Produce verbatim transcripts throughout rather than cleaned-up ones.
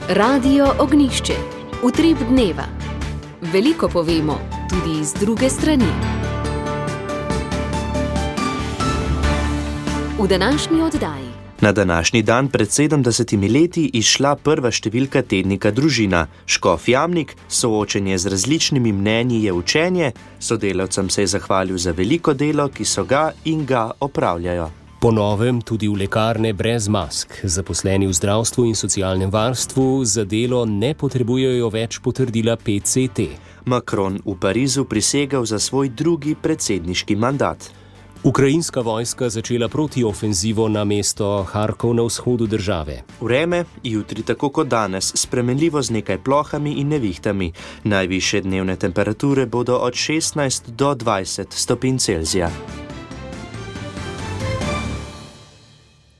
Radio Ognjišče. Utrip dneva. Veliko povemo, tudi iz druge strani. V današnji oddaji. Na današnji dan pred sedemdesetimi leti izšla prva številka tednika Družina. Škof Jamnik, soočenje z različnimi mnenji je učenje, sodelavcem se je zahvalil za veliko delo, ki so ga in ga opravljajo. Po novem tudi v lekarne brez mask. Zaposleni v zdravstvu in socialnem varstvu za delo ne potrebujejo več potrdila P C T. Macron v Parizu prisegel za svoj drugi predsedniški mandat. Ukrajinska vojska začela protiofenzivo na mesto Harkov na vzhodu države. Vreme, jutri tako kot danes, spremenljivo z nekaj plohami in nevihtami. Najvišje dnevne temperature bodo od šestnajst do dvajset stopinj Celzija.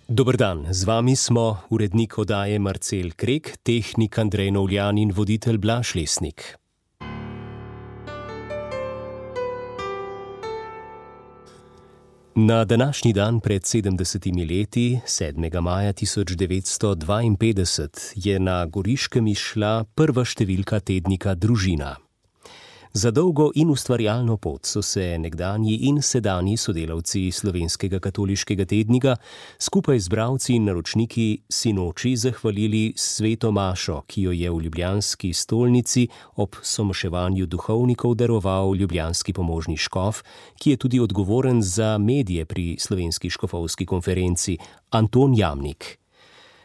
Dober dan, z vami smo urednik oddaje Marcel Krek, tehnik Andrej Novljan in voditelj Blaž Lesnik. Na današnji dan pred sedemdesetimi leti, sedmega maja tisoč devetsto dvainpetdeset, je na Goriškem izšla prva številka tednika Družina. Za dolgo in ustvarjalno pot so se nekdanji in sedanji sodelavci Slovenskega katoliškega tednika skupaj z bralci in naročniki sinoči zahvalili sveto mašo, ki jo je v ljubljanski stolnici ob somoševanju duhovnikov daroval ljubljanski pomožni škof, ki je tudi odgovoren za medije pri Slovenski škofovski konferenci, Anton Jamnik.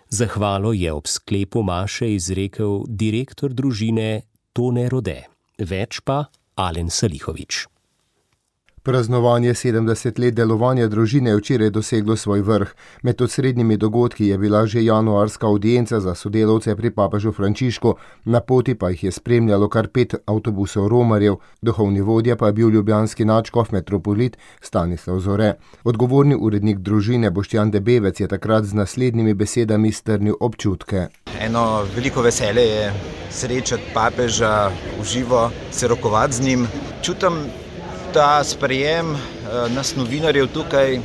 Zahvalo je ob sklepu maše izrekel direktor Družine Tone Rode. Več pa Alen Salihovič. Praznovanje sedemdeset let delovanja Družine je včeraj doseglo svoj vrh. Med osrednjimi dogodki je bila že januarska avdienca za sodelavce pri papežu Frančišku, na poti pa jih je spremljalo kar pet avtobusov romarjev, duhovni vodja pa je bil ljubljanski nadškof metropolit Stanislav Zore. Odgovorni urednik Družine Boštjan Debevec je takrat z naslednjimi besedami strnil občutke. Eno veliko veselje je srečati papeža v živo, se rokovati z njim. Čutim ta sprejem nas novinarjev tukaj,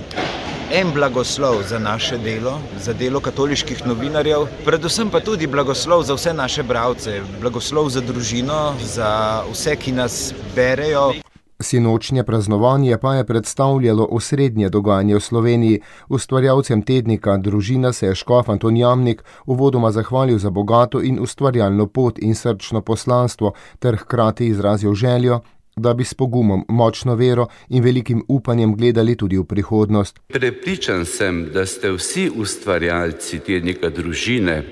en blagoslov za naše delo, za delo katoliških novinarjev, predvsem pa tudi blagoslov za vse naše bralce, blagoslov za družino, za vse, ki nas berejo. Sinočnje praznovanje pa je predstavljalo osrednje dogajanje v Sloveniji. Ustvarjalcem tednika Družina se je škof Anton Jamnik uvodoma zahvalil za bogato in ustvarjalno pot in srčno poslanstvo ter hkrati izrazil željo, da bi s pogumom, močno vero in velikim upanjem gledali tudi v prihodnost. Prepričan sem, da ste vsi ustvarjalci tednika Družine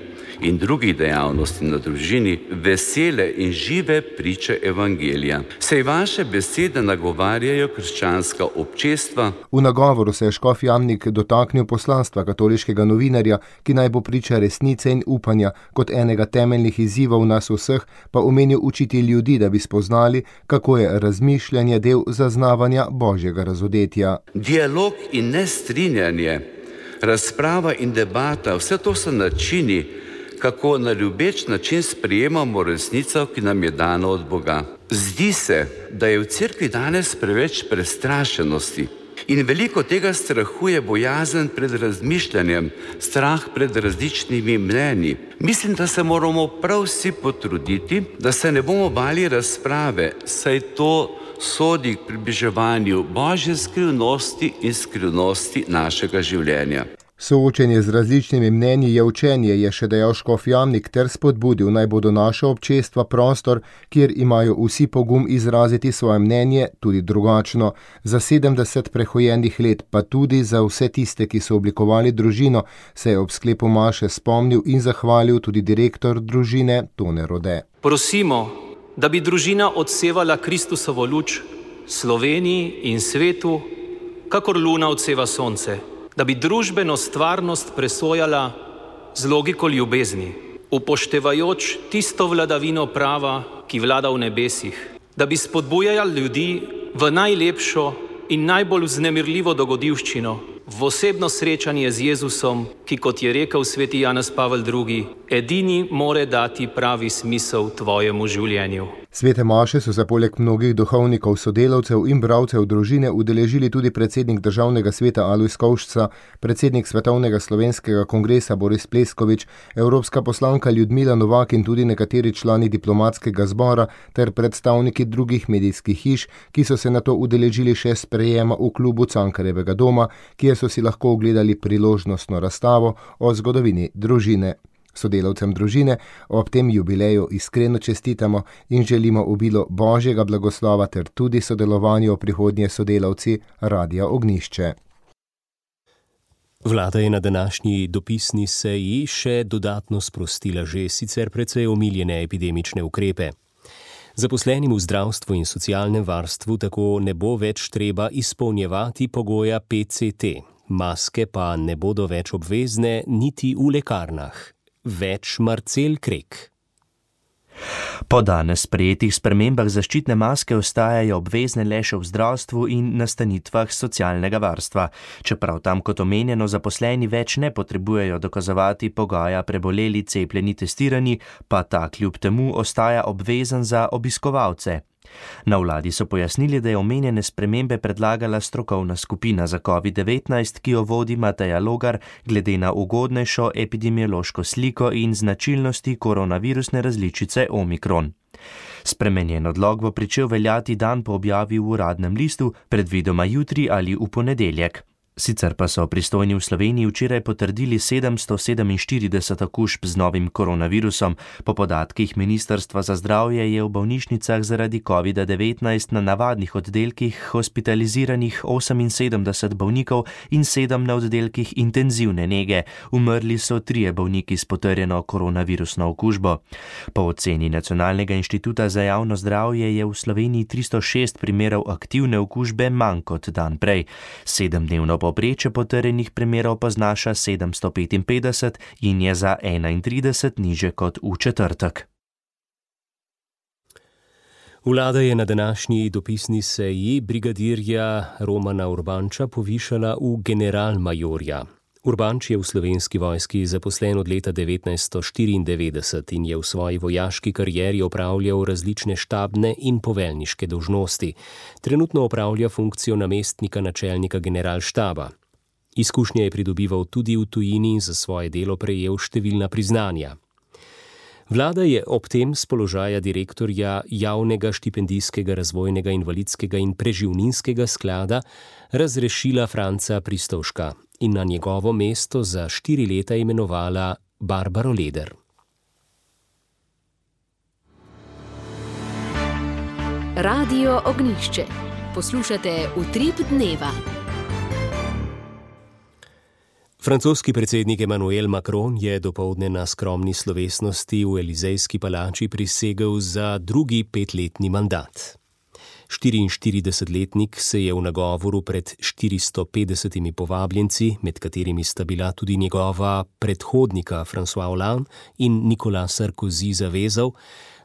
in drugih dejavnosti na družini vesele in žive priče evangelija. Saj vaše besede nagovarjajo krščanska občestva. V nagovoru se je škof Jamnik dotaknil poslanstva katoliškega novinarja, ki naj bo priča resnice in upanja, kot enega temeljnih izzivov nas vseh, pa omenil učiti ljudi, da bi spoznali, kako je razmišljanje del zaznavanja božjega razodetja. Dialog in nestrinjanje, razprava in debata, vse to so načini, kako na ljubeč način sprejemamo resnico, ki nam je dana od Boga. Zdi se, da je v cerkvi danes preveč prestrašenosti in veliko tega strahuje bojazen pred razmišljanjem, strah pred različnimi mnenji. Mislim, da se moramo prav vsi potruditi, da se ne bomo bali razprave, saj to sodi k približevanju Božje skrivnosti in skrivnosti našega življenja. Soočenje z različnimi mnenji je učenje, je še dejal škof Jamnik ter spodbudil, naj bodo naša občestva prostor, kjer imajo vsi pogum izraziti svoje mnenje, tudi drugačno. Za sedemdeset prehojenih let, pa tudi za vse tiste, ki so oblikovali družino, se je ob sklepu maše spomnil in zahvalil tudi direktor Družine Tone Rode. Prosimo, da bi družina odsevala Kristusovo luč Sloveniji in svetu, kakor luna odseva sonce. Da bi družbeno stvarnost presojala z logiko ljubezni, upoštevajoč tisto vladavino prava, ki vlada v nebesih, da bi spodbujala ljudi v najlepšo in najbolj vznemirljivo dogodivščino, v osebno srečanje z Jezusom, ki, kot je rekel sveti Janez Pavel drugi, edini more dati pravi smisel tvojemu življenju. Svete maše so se poleg mnogih duhovnikov, sodelavcev in bralcev družine udeležili tudi predsednik Državnega sveta Alojz Kovšca, predsednik Svetovnega slovenskega kongresa Boris Pleskovič, evropska poslanka Ljudmila Novak in tudi nekateri člani diplomatskega zbora ter predstavniki drugih medijskih hiš, ki so se nato udeležili še sprejema v klubu Cankarjevega doma, kjer so si lahko ogledali priložnostno razstavo o zgodovini družine. Sodelavcem družine ob tem jubileju iskreno čestitamo in želimo obilo Božjega blagoslova ter tudi sodelovanju prihodnje sodelavci Radia Ognjišče. Vlada je na današnji dopisni seji še dodatno sprostila že sicer precej omiljene epidemične ukrepe. Zaposlenim v zdravstvu in socialnem varstvu tako ne bo več treba izpolnjevati pogoja P C T, maske pa ne bodo več obvezne niti v lekarnah. Več Marcel Krek. Po danes sprejetih spremembah zaščitne maske ostajajo obvezne le še v zdravstvu in nastanitvah socialnega varstva. Čeprav tam, kot omenjeno, zaposleni več ne potrebujejo dokazovati pogoja preboleli, cepljeni, testirani, pa ta kljub temu ostaja obvezen za obiskovalce. Na vladi so pojasnili, da je omenjene spremembe predlagala strokovna skupina za covid devetnajst, ki jo vodi Mateja Logar, glede na ugodnejšo epidemiološko sliko in značilnosti koronavirusne različice Omikron. Spremenjen odlok bo pričel veljati dan po objavi v uradnem listu, predvidoma jutri ali v ponedeljek. Sicer pa so pristojni v Sloveniji včeraj potrdili sedemsto sedeminštirideset okužb z novim koronavirusom. Po podatkih Ministrstva za zdravje je v bolnišnicah zaradi covid devetnajst na navadnih oddelkih hospitaliziranih oseminsedemdeset bolnikov in sedem na oddelkih intenzivne nege. Umrli so trije bolniki s potrjeno koronavirusno okužbo. Po oceni Nacionalnega inštituta za javno zdravje je v Sloveniji tristo šest primerov aktivne okužbe manj kot dan prej. Sedemdnevno povprečje potrjenih primerov pa znaša sedemsto petinpetdeset in je za enaintrideset niže kot v četrtek. Vlada je na današnji dopisni seji brigadirja Romana Urbanča povišala v generalmajorja. Urbanč je v Slovenski vojski zaposlen od leta devetnajststo štiriindevetdeset in je v svoji vojaški karieri opravljal različne štabne in poveljniške dolžnosti. Trenutno opravlja funkcijo namestnika načelnika generalštaba. Izkušnje je pridobival tudi v tujini in za svoje delo prejel številna priznanja. Vlada je ob tem s položaja direktorja Javnega štipendijskega razvojnega invalidskega in preživninskega sklada razrešila Franca Pristovška in na njegovo mesto za štiri leta imenovala Barbaro Leder. Radio Ognjišče. Poslušate Utrip dneva. Francoski predsednik Emmanuel Macron je dopoldne na skromni slovesnosti v Elizejski palači prisegel za drugi petletni mandat. štiriinštiridesetletnik se je v nagovoru pred štiristo petdesetimi povabljenci, med katerimi sta bila tudi njegova predhodnika François Hollande in Nicolas Sarkozy, zavezal,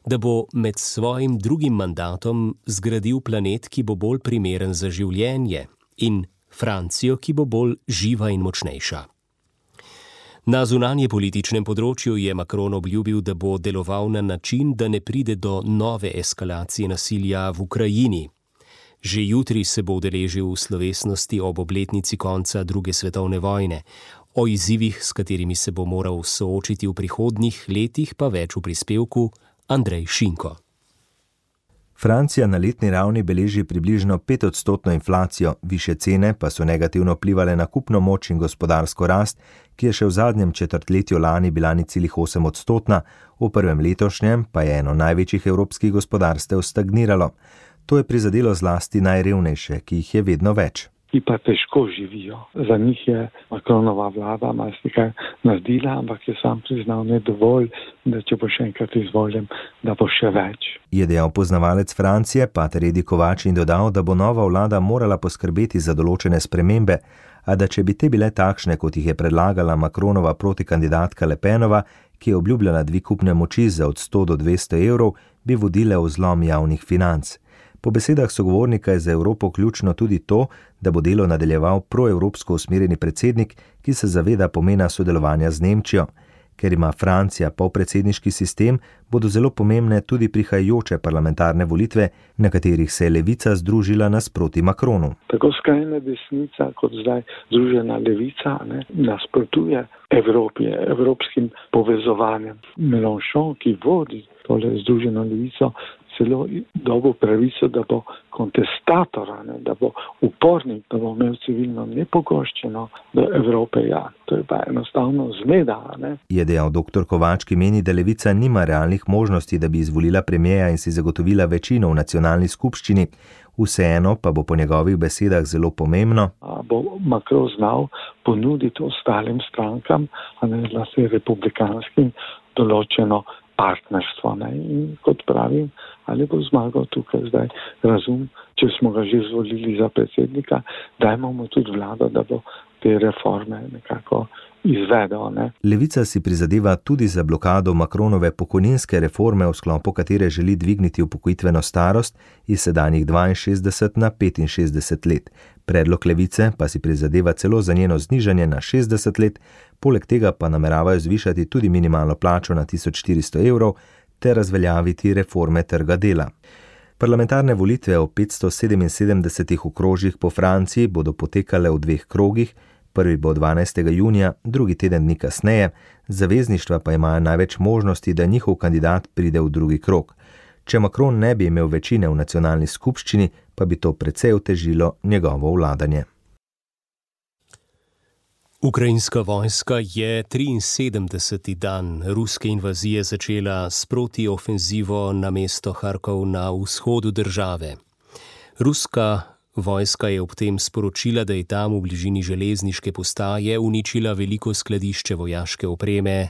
da bo med svojim drugim mandatom zgradil planet, ki bo bolj primeren za življenje, in Francijo, ki bo bolj živa in močnejša. Na zunanje političnem področju je Macron obljubil, da bo deloval na način, da ne pride do nove eskalacije nasilja v Ukrajini. Že jutri se bo udeležil v slovesnosti ob obletnici konca druge svetovne vojne. O izzivih, s katerimi se bo moral soočiti v prihodnjih letih, pa več v prispevku Andrej Šinko. Francija na letni ravni beleži približno petodstotno inflacijo, više cene pa so negativno vplivale na kupno moč in gospodarsko rast, ki je še v zadnjem četrtletju lani bila nič celih osem odstotna, v prvem letošnjem pa je eno največjih evropskih gospodarstev stagniralo. To je prizadelo zlasti najrevnejše, ki jih je vedno več. Ki pa težko živijo. Za njih je Macronova vlada marsikaj naredila, ampak je sam priznal ne dovolj, da če bo še enkrat izvoljen, da bo še več. Je dejal poznavalec Francije, pater Edi Kovač, in dodal, da bo nova vlada morala poskrbeti za določene spremembe, a da če bi te bile takšne, kot jih je predlagala Macronova protikandidatka Le Penova, ki je obljubljala dvig kupne moči za od sto do dvesto evrov, bi vodile v zlom javnih financ. Po besedah sogovornika je za Evropo ključno tudi to, da bo delo nadaljeval proevropsko usmerjeni predsednik, ki se zaveda pomena sodelovanja z Nemčijo. Ker ima Francija polpredsedniški sistem, bodo zelo pomembne tudi prihajajoče parlamentarne volitve, na katerih se je levica združila nasproti Macronu. Tako skrajna desnica kot zdaj združena levica ne, nasprotuje Evropi, evropskim povezovanjem. Mélenchon, ki vodi tole združeno levico, celo dobo pravico, da bo kontestator, ne, da bo upornik, da bo imel civilno nepogoščeno do Evrope. Ja, to je pa enostavno zmeda. Ne. Je dejal doktor Kovač, ki meni, da levica nima realnih možnosti, da bi izvolila premijeja in si zagotovila večino v nacionalni skupščini. Vseeno pa bo po njegovih besedah zelo pomembno, A bo Macron znal ponuditi ostalim strankam, a ne zlasti republikanskim, določeno partnerstvo. Ne. In kot pravim, ali bo zmagal tukaj zdaj razum, če smo ga že izvolili za predsednika, dajmo mu tudi vlado, da bo te reforme nekako izvedel. Ne. Levica si prizadeva tudi za blokado Macronove pokojninske reforme, v sklopu katere želi dvigniti upokojitveno starost iz sedanjih dvainšestdeset na petinšestdeset let. Predlog levice pa si prizadeva celo za njeno znižanje na šestdeset let, poleg tega pa nameravajo zvišati tudi minimalno plačo na tisoč štiristo evrov ter razveljaviti reforme trga dela. Parlamentarne volitve v petsto sedeminsedemdesetih okrožjih po Franciji bodo potekale v dveh krogih, prvi bo dvanajstega junija, drugi teden dni kasneje, zavezništva pa imajo največ možnosti, da njihov kandidat pride v drugi krog. Če Macron ne bi imel večine v nacionalni skupščini, pa bi to precej otežilo njegovo vladanje. Ukrajinska vojska je triinsedemdeseti dan ruske invazije začela s protiofenzivo na mesto Harkov na vzhodu države. Ruska vojska je ob tem sporočila, da je tam v bližini železniške postaje uničila veliko skladišče vojaške opreme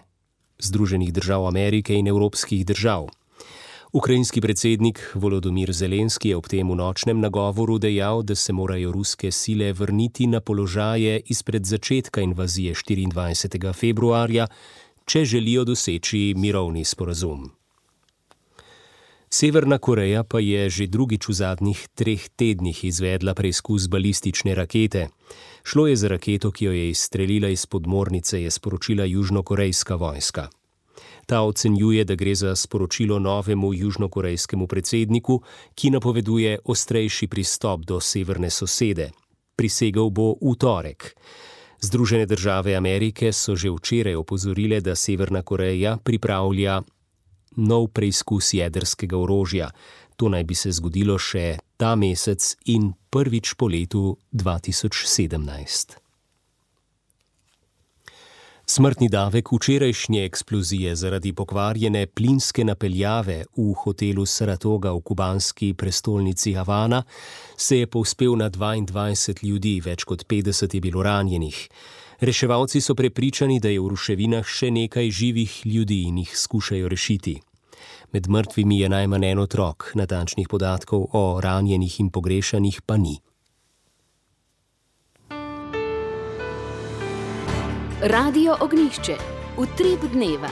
Združenih držav Amerike in evropskih držav. Ukrajinski predsednik Volodymyr Zelenski je ob tem v nočnem nagovoru dejal, da se morajo ruske sile vrniti na položaje izpred začetka invazije štiriindvajsetega februarja, če želijo doseči mirovni sporazum. Severna Koreja pa je že drugič v zadnjih treh tednih izvedla preizkus balistične rakete. Šlo je za raketo, ki jo je izstrelila iz podmornice, je sporočila južnokorejska vojska. Ta ocenjuje, da gre za sporočilo novemu južnokorejskemu predsedniku, ki napoveduje ostrejši pristop do severne sosede. Prisegel bo v torek. Združene države Amerike so že včeraj opozorile, da Severna Koreja pripravlja nov preizkus jedrskega orožja. To naj bi se zgodilo še ta mesec in prvič po letu dva tisoč sedemnajst. Smrtni davek včerajšnje eksplozije zaradi pokvarjene plinske napeljave v hotelu Saratoga v kubanski prestolnici Havana se je povzpel na dvaindvajset ljudi, več kot petdeset je bilo ranjenih. Reševalci so prepričani, da je v ruševinah še nekaj živih ljudi in jih skušajo rešiti. Med mrtvimi je najmanj en otrok, natančnih podatkov o ranjenih in pogrešanih pa ni. Radio Ognjišče, utrip dneva.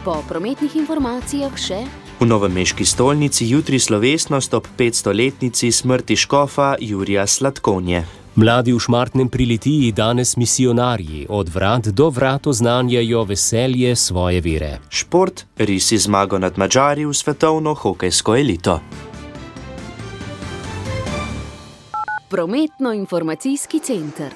Po prometnih informacijah še: v novomeški stolnici jutri slovesnost ob petstoletnici smrti škofa Jurija Slatkonje. Mladi v Šmartnem pri Litiji danes misionarji od vrat do vrat oznanjajo veselje svoje vere. Šport, risi zmago nad Madžari v svetovno hokejsko elito. Prometno-informacijski center.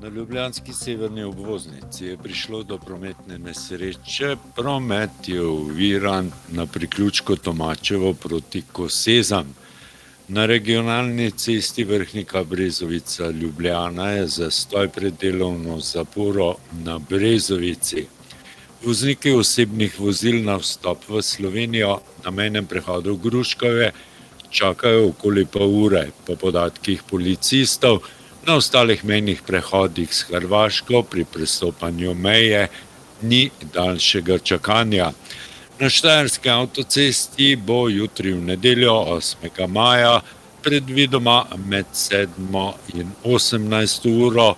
Na ljubljanski severni obvoznici je prišlo do prometne nesreče. Promet je oviran na priključku Tomačevo proti Kosezam. Na regionalni cesti Vrhnika Brezovica Ljubljana je zastoj pred delovno zaporo na Brezovici. Vozniki osebnih vozil na vstop v Slovenijo na mejnem prehodu Gruškove čakajo okoli pol ure. Po podatkih policistov na ostalih mejnih prehodih s Hrvaško pri prestopanju meje ni daljšega čakanja. Na štajerski avtocesti bo jutri v nedeljo osmega maja predvidoma med sedmo in osemnajsto uro.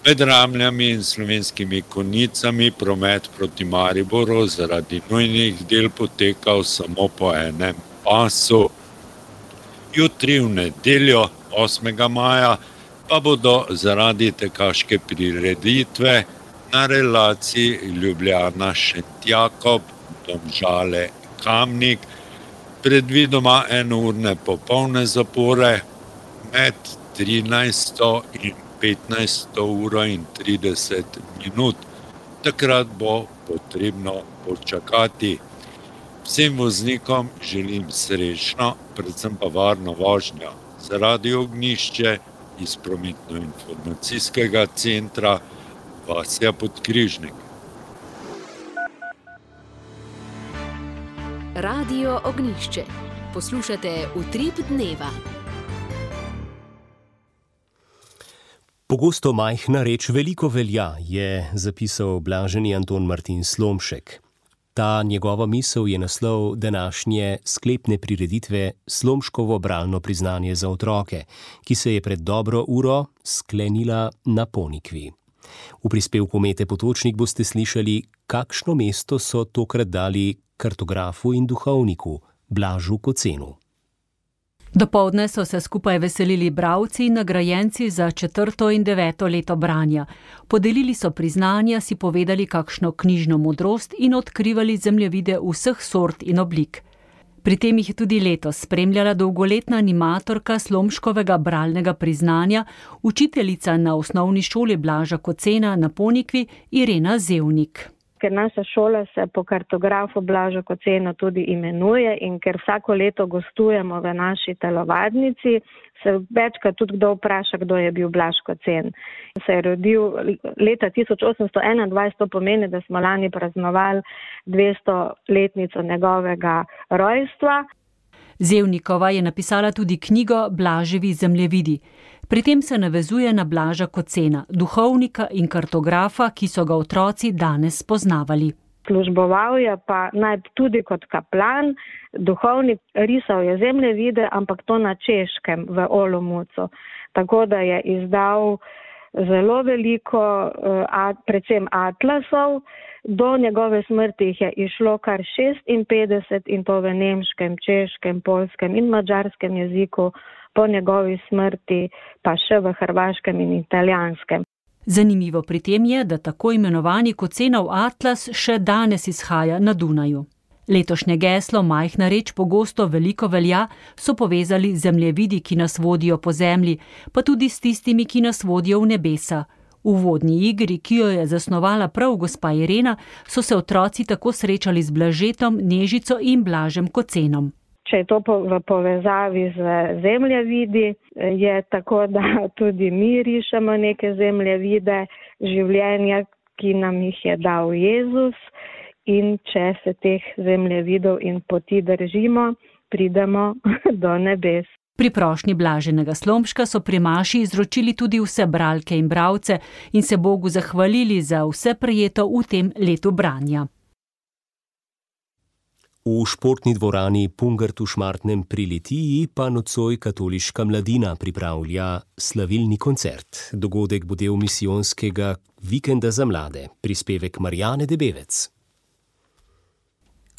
Med Ramljami in Slovenskimi Konjicami promet proti Mariboru zaradi nujnih del potekal samo po enem pasu. Jutri v nedeljo osmega maja pa bodo zaradi tekaške prireditve na relaciji Ljubljana-Šentjakob, Domžale-Kamnik, predvidoma enourne popolne zapore med trinajsto in petnajsto uro in trideset minut. Takrat bo potrebno počakati. Vsem voznikom želim srečno, predvsem pa varno vožnjo. Za Radio Ognjišče iz prometno-informacijskega centra Vasja Podkrižnik. Radio Ognjišče. Poslušate Utrip dneva. Pogosto majhna reč veliko velja, je zapisal blaženi Anton Martin Slomšek. Ta njegova misel je naslov današnje sklepne prireditve Slomškovo bralno priznanje za otroke, ki se je pred dobro uro sklenila na Ponikvi. V prispevku Mete Potočnik boste slišali, kakšno mesto so tokrat dali kartografu in duhovniku Blažu Kocenu. Dopoldne so se skupaj veselili bralci in nagrajenci za četrto in deveto leto branja. Podelili so priznanja, si povedali kakšno knjižno modrost in odkrivali zemljevide vseh sort in oblik. Pri tem jih je tudi letos spremljala dolgoletna animatorka Slomškovega bralnega priznanja, učiteljica na osnovni šoli Blaža Kocena na Ponikvi Irena Zevnik. Ker naša šola se po kartografu Blaža Kocena tudi imenuje in ker vsako leto gostujemo v naši telovadnici, se večkrat tudi kdo vpraša, kdo je bil Blaž Kocen. Se je rodil leta tisoč osemsto enaindvajset, to pomeni, da smo lani praznovali dvestoletnico njegovega rojstva. Zevnikova je napisala tudi knjigo Blaževi zemljevidi. Pri tem se navezuje na Blaža Kocena, duhovnika in kartografa, ki so ga otroci danes spoznavali. Služboval je pa naj tudi kot kaplan, duhovnik, risal je zemljevide, ampak to na Češkem v Olomoucu. Tako da je izdal zelo veliko, predvsem atlasov. Do njegove smrti jih je išlo kar šestinpetdeset in to v nemškem, češkem, poljskem in madžarskem jeziku, po njegovi smrti pa še v hrvaškem in italijanskem. Zanimivo pri tem je, da tako imenovani Kocenov atlas še danes izhaja na Dunaju. Letošnje geslo majhna reč pogosto veliko velja so povezali zemljevidi, ki nas vodijo po zemlji, pa tudi s tistimi, ki nas vodijo v nebesa. V vodni igri, ki jo je zasnovala prav gospa Irena, so se otroci tako srečali z Blažetom, Nežico in Blažem Kocenom. Če je to v povezavi z zemljevidi, je tako, da tudi mi rišemo neke zemljevide življenja, ki nam jih je dal Jezus, in če se teh zemljevidov in poti držimo, pridemo do nebes. Pri prošnji blaženega Slomška so pri maši izročili tudi vse bralke in bralce in se Bogu zahvalili za vse prejeto v tem letu branja. V športni dvorani Pungart v Šmartnem pri Litiji pa nocoj katoliška mladina pripravlja slavilni koncert. Dogodek bo del misijonskega vikenda za mlade. Prispevek Marjane Debevec.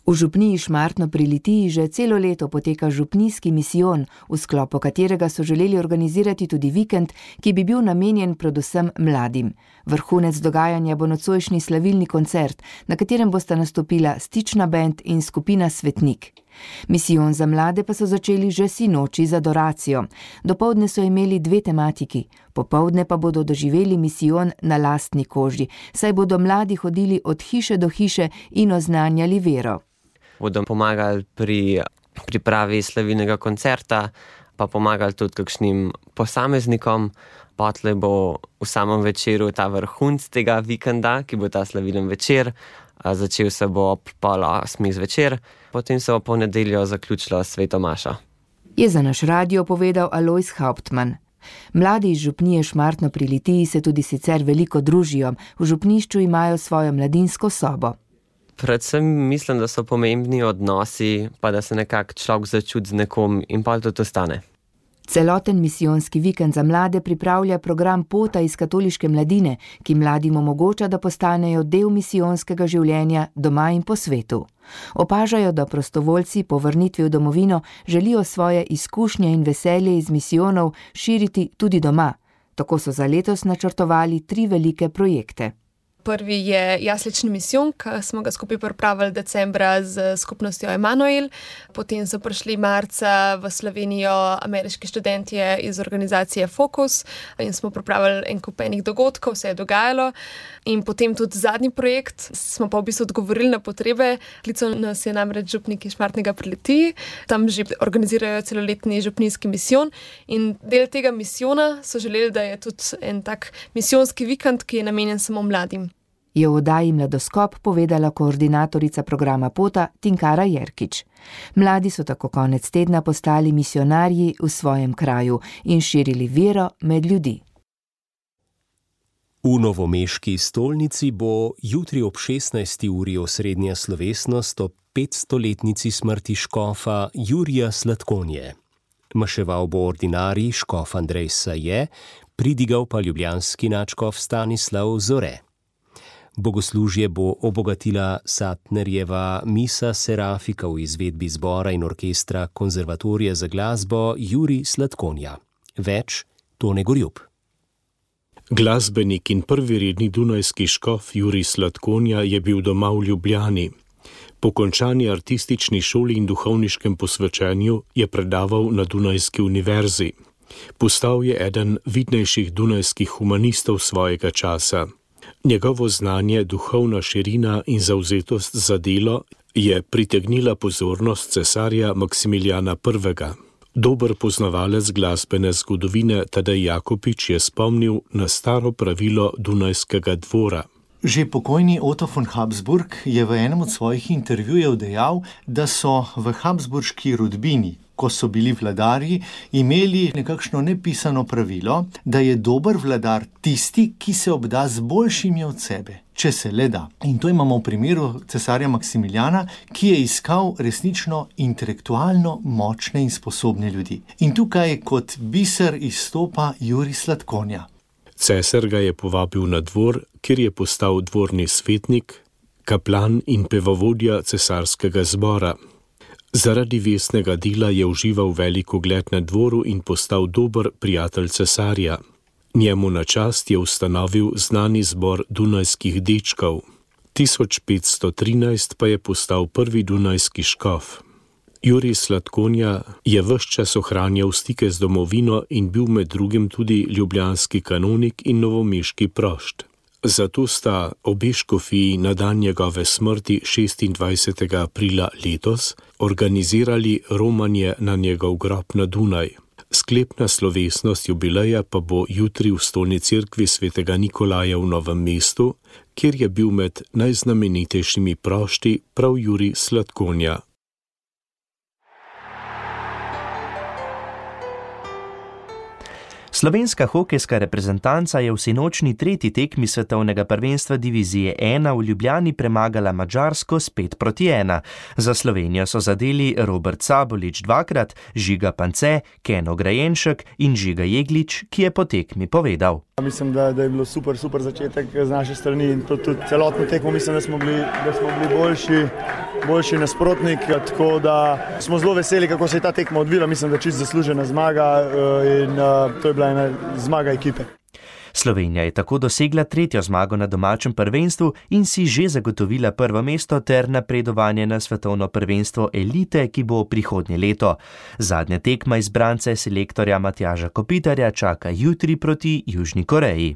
V župniji Šmartno pri Litiji že celo leto poteka župnijski misijon, v sklopu katerega so želeli organizirati tudi vikend, ki bi bil namenjen predvsem mladim. Vrhunec dogajanja bo nocojšnji slavilni koncert, na katerem bosta nastopila Stična bend in skupina Svetnik. Misijon za mlade pa so začeli že sinoči z adoracijo. Dopoldne so imeli dve tematiki, popoldne pa bodo doživeli misijon na lastni koži, saj bodo mladi hodili od hiše do hiše in oznanjali vero. Bodo pomagali pri pripravi slavilnega koncerta, pa pomagali tudi kakšnim posameznikom. Potlej bo v samem večeru ta vrhunc tega vikenda, ki bo ta slavilen večer. Začel se bo ob pol osmih zvečer, potem se bo po nedeljo zaključilo sveto mašo. Je za naš radio povedal Alojz Hauptmann. Mladi iz župnije Šmartno pri Litiji se tudi sicer veliko družijo, v župnišču imajo svojo mladinsko sobo. Predvsem mislim, da so pomembni odnosi, pa da se nekako človek začuti z nekom in pa to ostane. Celoten misijonski vikend za mlade pripravlja program Pota iz katoliške mladine, ki mladim omogoča, da postanejo del misijonskega življenja doma in po svetu. Opažajo, da prostovoljci po vrnitvi v domovino želijo svoje izkušnje in veselje iz misijonov širiti tudi doma. Tako so za letos načrtovali tri velike projekte. Prvi je jaslični misijon, ki smo ga skupaj pripravili decembra z skupnostjo Emanuel. Potem so prišli marca v Slovenijo ameriški študentje iz organizacije Focus in smo pripravili en kup enih dogodkov, vse je dogajalo. In potem tudi zadnji projekt smo pa v bistvu odgovorili na potrebe. Klical nas je namreč župnik iz Šmartnega pri Litiji. Tam že organizirajo celoletni župnijski misijon in del tega misijona so želeli, da je tudi en tak misijonski vikend, ki je namenjen samo mladim. Je v oddaji Mladoskop povedala koordinatorica programa Pota Tinkara Jerkič. Mladi so tako konec tedna postali misionarji v svojem kraju in širili vero med ljudi. V novomeški stolnici bo jutri ob šestnajsti uri osrednja slovesnost ob petstoletnici smrti škofa Jurija Slatkonje. Maševal bo ordinarij škof Andrej Saje, pridigal pa ljubljanski nadškof Stanislav Zore. Bogoslužje bo obogatila Satnerjeva misa Serafika v izvedbi zbora in orkestra Konzervatorija za glasbo Jurij Slatkonja. Več Tone Gorjup. Glasbenik in prvi redni dunajski škof Jurij Slatkonja je bil doma v Ljubljani. Po končani artistični šoli in duhovniškem posvečenju je predaval na Dunajski univerzi. Postal je eden vidnejših dunajskih humanistov svojega časa. Njegovo znanje, duhovna širina in zavzetost za delo je pritegnila pozornost cesarja Maksimiljana prvega. Dober poznavalec glasbene zgodovine Tadej Jakopič je spomnil na staro pravilo Dunajskega dvora. Že pokojni Otto von Habsburg je v enem od svojih intervjujev dejal, da so v habsburški rodbini, ko so bili vladarji, imeli nekakšno nepisano pravilo, da je dober vladar tisti, ki se obda z boljšimi od sebe, če se le da. In to imamo v primeru cesarja Maksimiljana, ki je iskal resnično intelektualno močne in sposobne ljudi. In tukaj kot biser izstopa Jurij Slatkonja. Cesar ga je povabil na dvor, kjer je postal dvorni svetnik, kaplan in pevovodja cesarskega zbora. Zaradi vestnega dela je užival velik ugled na dvoru in postal dober prijatelj cesarja. Njemu na čast je ustanovil znani zbor dunajskih dečkov. tisoč petsto trinajst pa je postal prvi dunajski škof. Jurij Slatkonja je ves čas ohranjal stike z domovino in bil med drugim tudi ljubljanski kanonik in novomeški prošt. Zato sta obe škofiji na dan njegove smrti šestindvajsetega aprila letos organizirali romanje na njegov grob na Dunaj. Sklepna slovesnost jubileja pa bo jutri v stolni cerkvi svetega Nikolaja v Novem mestu, kjer je bil med najznamenitejšimi prošti prav Jurij Slatkonja. Slovenska hokejska reprezentanca je v sinočni tretji tekmi svetovnega prvenstva divizije ena v Ljubljani premagala Madžarsko s pet proti ena. Za Slovenijo so zadeli Robert Sabolič dvakrat, Žiga Pance, Keno Grajenšek in Žiga Jeglič, ki je po tekmi povedal. Mislim, da, da je bilo super, super začetek z naše strani in tudi celotno tekmo mislim, da smo bili, da smo bili boljši, boljši nasprotnik, tako da smo zelo veseli, kako se je ta tekma odvila. Mislim, da čisto zaslužena zmaga in to je bila ena zmaga ekipe. Slovenija je tako dosegla tretjo zmago na domačem prvenstvu in si že zagotovila prvo mesto ter napredovanje na svetovno prvenstvo elite, ki bo prihodnje leto. Zadnja tekma izbrance selektorja Matjaža Kopitarja čaka jutri proti Južni Koreji.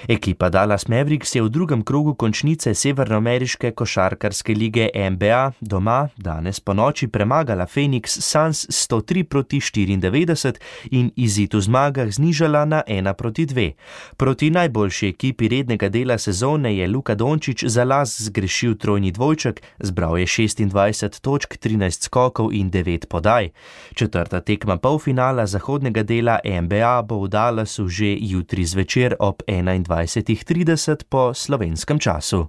Ekipa Dallas Mavericks je v drugem krogu končnice severnoameriške košarkarske lige N B A doma danes po noči premagala Phoenix Suns sto tri proti štiriindevetdeset in izid v zmagah znižala na ena proti dve. Proti najboljši ekipi rednega dela sezone je Luka Dončić za las zgrešil trojni dvojček, zbral je šestindvajset točk, trinajst skokov in devet podaj. Četrta tekma polfinala zahodnega dela N B A bo v Dallasu že jutri zvečer ob enaindvajsetih trideset po slovenskem času.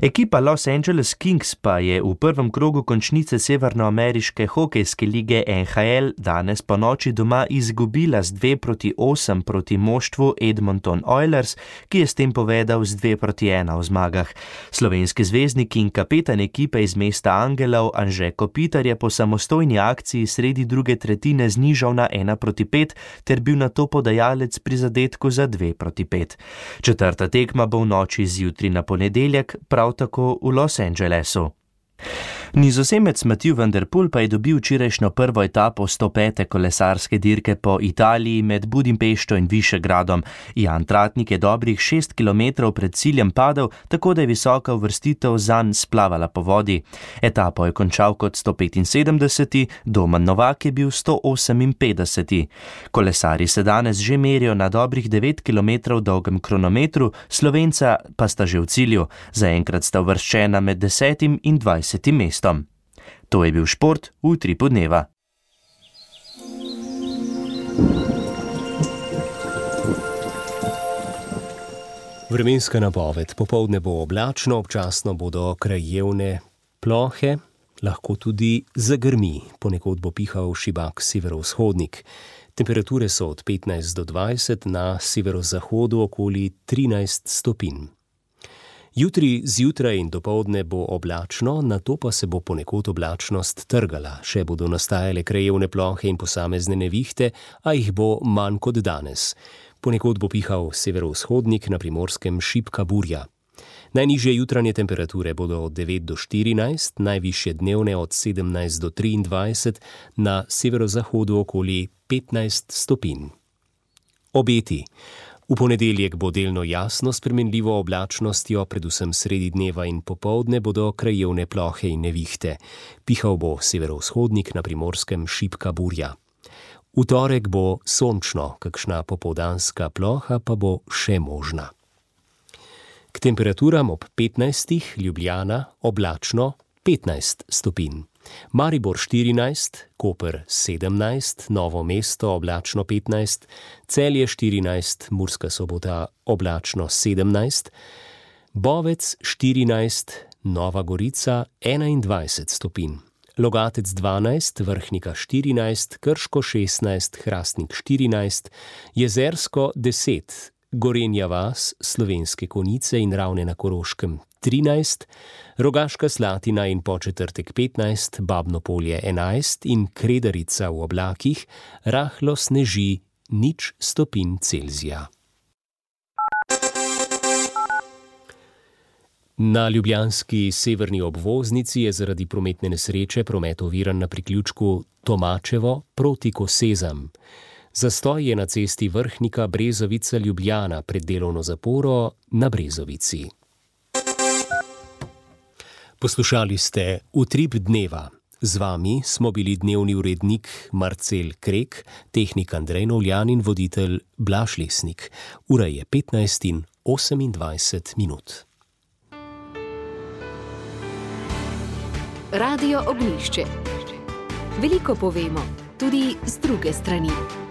Ekipa Los Angeles Kings pa je v prvem krogu končnice severnoameriške hokejske lige N H L danes po noči doma izgubila z dve proti osem proti moštvu Edmonton Oilers, ki je s tem povedal z dve proti ena v zmagah. Slovenski zvezdnik in kapetan ekipe iz mesta Angelov Anže Kopitar je po samostojni akciji sredi druge tretjine znižal na ena proti pet ter bil nato podajalec pri zadetku za dve proti pet. Četrta tekma bo v noči z jutri na ponedeljek, prav tako v Los Angelesu. Nizozemec Mathieu van der Poel pa je dobil včerajšnjo prvo etapo sto pete kolesarske dirke po Italiji med Budimpešto in Višegradom. Jan Tratnik je dobrih šest kilometrov pred ciljem padel, tako da je visoka uvrstitev zanj splavala po vodi. Etapo je končal kot sto petinsedemdeseti, Domen Novak je bil sto oseminpetdeseti. Kolesarji se danes že merijo na dobrih devet kilometrov dolgem kronometru, Slovenca pa sta že v cilju. Zaenkrat sta uvrščena med desetim in dvajsetim mestom. To je bil šport v Utripu dneva. Vremenska napoved. Popoldne bo oblačno, občasno bodo krajevne plohe, lahko tudi zagrmi. Ponekod bo pihal šibak severovzhodnik. Temperature so od petnajst do dvajset, na severozahodu okoli trinajst stopinj. Jutri zjutraj in dopoldne bo oblačno, nato pa se bo ponekod oblačnost trgala. Še bodo nastajale krajevne plohe in posamezne nevihte, a jih bo manj kot danes. Ponekod bo pihal severovzhodnik, na Primorskem šibka burja. Najnižje jutranje temperature bodo od devet do štirinajst, najvišje dnevne od sedemnajst do triindvajset, na severozahodu okoli petnajst stopinj. Obeti. V ponedeljek bo delno jasno s spremenljivo oblačnostjo, predvsem sredi dneva in popoldne bodo krajevne plohe in nevihte. Pihal bo severovzhodnik, na Primorskem šibka burja. V torek bo sončno, kakšna popoldanska ploha pa bo še možna. K temperaturam ob petnajstih, Ljubljana oblačno petnajst stopinj. Maribor štirinajst, Koper sedemnajst, Novo mesto oblačno petnajst, Celje štirinajst, Murska Sobota oblačno sedemnajst, Bovec štirinajst, Nova Gorica enaindvajset stopinj. Logatec dvanajst, Vrhnika štirinajst, Krško šestnajst, Hrastnik štirinajst, Jezersko deset, Gorenja vas, Slovenske Konjice in Ravne na Koroškem trinajst, Rogaška Slatina in Podčetrtek petnajst, Babno Polje enajst in Kredarica v oblakih, rahlo sneži nič stopinj Celzija. Na ljubljanski severni obvoznici je zaradi prometne nesreče promet oviran na priključku Tomačevo proti Kosezam. Zastoj je na cesti Vrhnika Brezovica Ljubljana pred delovno zaporo na Brezovici. Poslušali ste Utrip dneva. Z vami smo bili dnevni urednik Marcel Krek, tehnik Andrej Novljan in voditelj Blaž Lesnik. Ura je petnajst in osemindvajset minut. Radio Ognjišče. Veliko povemo, tudi z druge strani.